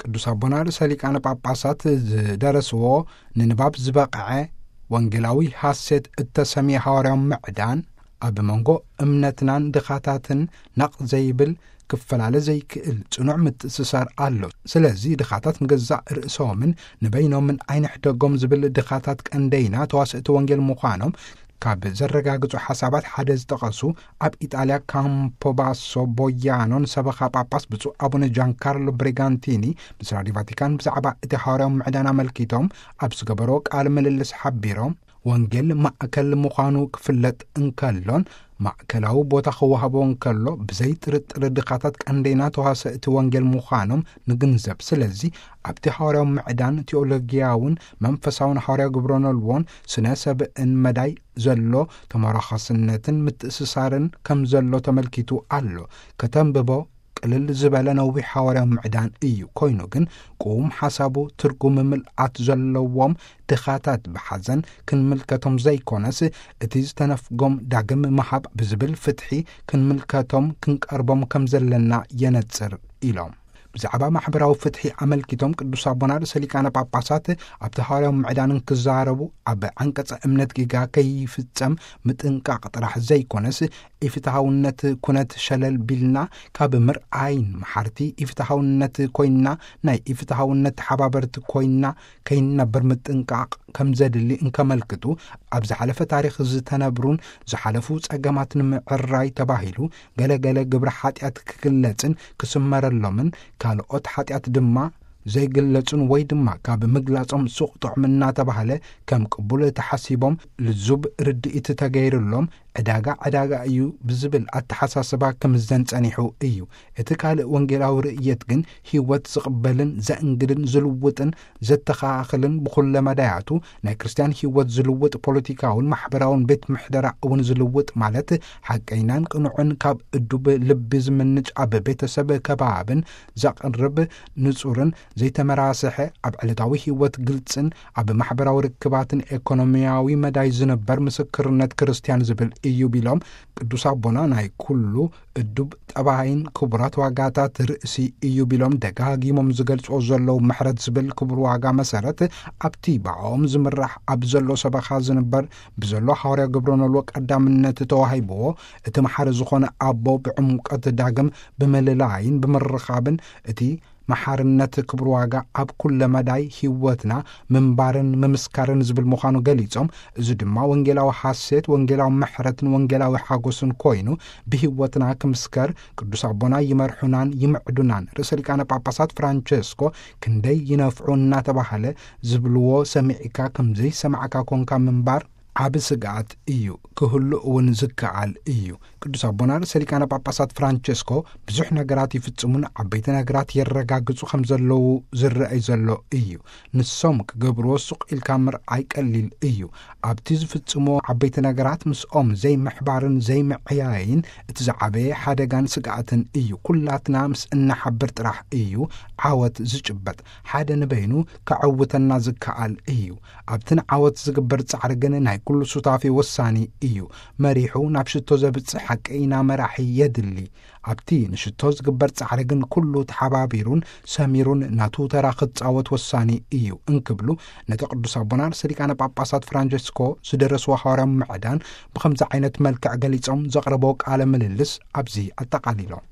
ቅዱስ ኣቦና ርእሰ ሊቃነ ጳጳሳት ዝደረስዎ ንንባብ ዝበቕዐ ወንጌላዊ ሐሴት እተሰምየ ሐዋርያዊ ምዕዳን፣ ኣብ መንጎ እምነትናን ድኻታትን ነቕ ዘይብል ክፈላለ ዘይክእል ጽኑዕ ምትእስሳር ኣሎ። ስለዚ ድኻታት ንገዛእ ርእሶምን ንበይኖምን ኣይንሕደጎም ዝብል ድኻታት ቀንደይና ተዋስእቲ ወንጌል ምዃኖም ካብ ዘረጋግጹ ሓሳባት ሓደ ዝጠቐሱ፣ ኣብ ኢጣልያ ካምፖባሶ ቦያኖን ሰበኻ ጳጳስ ብፁዕ ኣቡነ ጃንካርሎ ብሪጋንቲኒ ምስ ራዲዮ ቫቲካን ብዛዕባ እቲ ሐዋርያዊ ምዕዳን ኣመልኪቶም ኣብ ዝገበሮ ቃለ ምልልስ ሓቢሮም፣ ወንጌል ማእከል ምዃኑ ክፍለጥ እንከሎን ማእከላዊ ቦታ ክወሃቦ እንከሎ፣ ብዘይ ጥርጥር ድኻታት ቀንደይና ተዋሰእቲ ወንጌል ምዃኖም ንግንዘብ። ስለዚ ኣብቲ ሐዋርያዊ ምዕዳን ቴኦሎጊያውን መንፈሳውን ሐዋርያዊ ግብረ ኖልዎን ስነ ሰብእን መዳይ ዘሎ ተመራኸስነትን ምትእስሳርን ከም ዘሎ ተመልኪቱ ኣሎ። ከተንብቦ ቅልል ዝበለ ነዊሕ ሐዋርያዊ ምዕዳን እዩ። ኮይኑ ግን ቁም ሓሳቡ ትርጉም ምልኣት ዘለዎም ድኻታት ብሓዘን ክንምልከቶም ዘይኮነስ፣ እቲ ዝተነፍጎም ዳግም ምሃብ ብዝብል ፍትሒ ክንምልከቶም ክንቀርቦም ከም ዘለና የነጽር ኢሎም። ብዛዕባ ማሕበራዊ ፍትሒ ኣመልኪቶም ቅዱስ ኣቦና ርእሰ ሊቃነ ጳጳሳት ኣብቲ ሐዋርያዊ ምዕዳን እንክዛረቡ፣ ኣብ ዓንቀጸ እምነት ጌጋ ከይፍጸም ምጥንቃቕ ጥራሕ ዘይኮነስ፣ ኢፍትሃውነት ኩነት ሸለል ቢልና ካብ ምርኣይን መሓርቲ ኢፍትሃውነት ኮይንና፣ ናይ ኢፍትሃውነት ተሓባበርቲ ኮይንና ከይንነብር ምጥንቃቕ ከም ዘድሊ እንከመልክቱ፣ ኣብ ዝሓለፈ ታሪኽ ዝተነብሩን ዝሓለፉ ጸገማት ንምዕራይ ተባሂሉ ገለ ገለ ግብረ ሓጢኣት ክግለጽን ክስመረሎምን፣ ካልኦት ሓጢኣት ድማ ዘይግለጹን ወይ ድማ ካብ ምግላጾም ሱቕ ጥዑም እናተባህለ ከም ቅቡል ተሓሲቦም፣ ልዙብ ርድኢት ተገይርሎም፣ ዕዳጋ ዕዳጋ እዩ ብዝብል ኣተሓሳስባ ክምዘን ጸኒሑ እዩ። እቲ ካልእ ወንጌላዊ ርእየት ግን ህይወት ዝቕበልን ዘእንግድን ዝልውጥን ዘተኻኽልን፣ ብኹለ መዳያቱ ናይ ክርስትያን ህይወት ዝልውጥ፣ ፖለቲካውን ማሕበራውን ቤት ምሕደራ እውን ዝልውጥ፣ ማለት ሓቀይናን ቅኑዕን ካብ እዱብ ልቢ ዝምንጭ፣ ኣብ ቤተሰብ ከባብን ዘቕርብ፣ ንጹርን ዘይተመራስሐ፣ ኣብ ዕለታዊ ህይወት ግልጽን ኣብ ማሕበራዊ ርክባትን ኤኮኖሚያዊ መዳይ ዝንበር ምስክርነት ክርስትያን ዝብል እዩ ቢሎም፣ ቅዱስ ኣቦና ናይ ኩሉ እዱብ ጠባይን ክቡራት ዋጋታት ርእሲ እዩ ቢሎም ደጋጊሞም ዝገልጽዎ ዘለዉ፣ ምሕረት ዝብል ክቡር ዋጋ መሰረት ኣብቲ ብኣኦም ዝምራሕ ኣብ ዘሎ ሰበኻ ዝንበር ብዘሎ ሐዋርያ ግብረ ኖልዎ ቀዳምነት ተዋሂብዎ፣ እቲ መሓሪ ዝኾነ ኣቦ ብዕምቀት ዳግም ብምልላይን ብምርኻብን፣ እቲ መሓርነት ክብሪ ዋጋ ኣብ ኩለ መዳይ ህይወትና ምንባርን ምምስካርን ዝብል ምዃኑ ገሊጾም፣ እዚ ድማ ወንጌላዊ ሓሴት፣ ወንጌላዊ ምሕረትን ወንጌላዊ ሓጎስን ኮይኑ ብህይወትና ክምስከር ቅዱስ ኣቦና ይመርሑናን ይምዕዱናን። ርእሰ ሊቃነ ጳጳሳት ፍራንቸስኮ ክንደይ ይነፍዑ እናተባህለ ዝብልዎ ሰሚዕካ ከም ዘይሰማዕካ ኮንካ ምንባር ዓቢ ስግኣት እዩ፣ ክህሉ እውን ዝከኣል እዩ። ቅዱስ ኣቦና ርእሰ ሊቃነ ጳጳሳት ፍራንቸስኮ ብዙሕ ነገራት ይፍጽሙን ዓበይቲ ነገራት የረጋግጹ ከም ዘለዉ ዝረኣይ ዘሎ እዩ። ንሶም ክገብርዎ ሱቕ ኢልካ ምርኣይ ቀሊል እዩ። ኣብቲ ዝፍጽምዎ ዓበይቲ ነገራት ምስኦም ዘይምሕባርን ዘይምዕያይን እቲ ዝዓበየ ሓደጋን ስግኣትን እዩ። ኩላትና ምስ እንሓብር ጥራሕ እዩ ዓወት ዝጭበጥ። ሓደ ንበይኑ ከዕውተና ዝከኣል እዩ። ኣብቲ ንዓወት ዝግበር ጻዕሪ ግን ናይ ኩሉ ሱታፌ ወሳኒ እዩ። መሪሑ ናብ ሽቶ ዘብጽሕ ሓቀይና መራሒ የድሊ። ኣብቲ ንሽቶ ዝግበር ጻዕሪ ግን ኩሉ ተሓባቢሩን ሰሚሩን ናቱ ተራ ክጻወት ወሳኒ እዩ እንክብሉ፣ ነቲ ቅዱስ ኣቦና ርእሰ ሊቃነ ጳጳሳት ፍራንቸስኮ ዝደረስዎ ሐዋርያዊ ምዕዳን ብኸምዚ ዓይነት መልክዕ ገሊጾም ዘቕረቦ ቃለ ምልልስ ኣብዚ ኣጠቓሊሎም።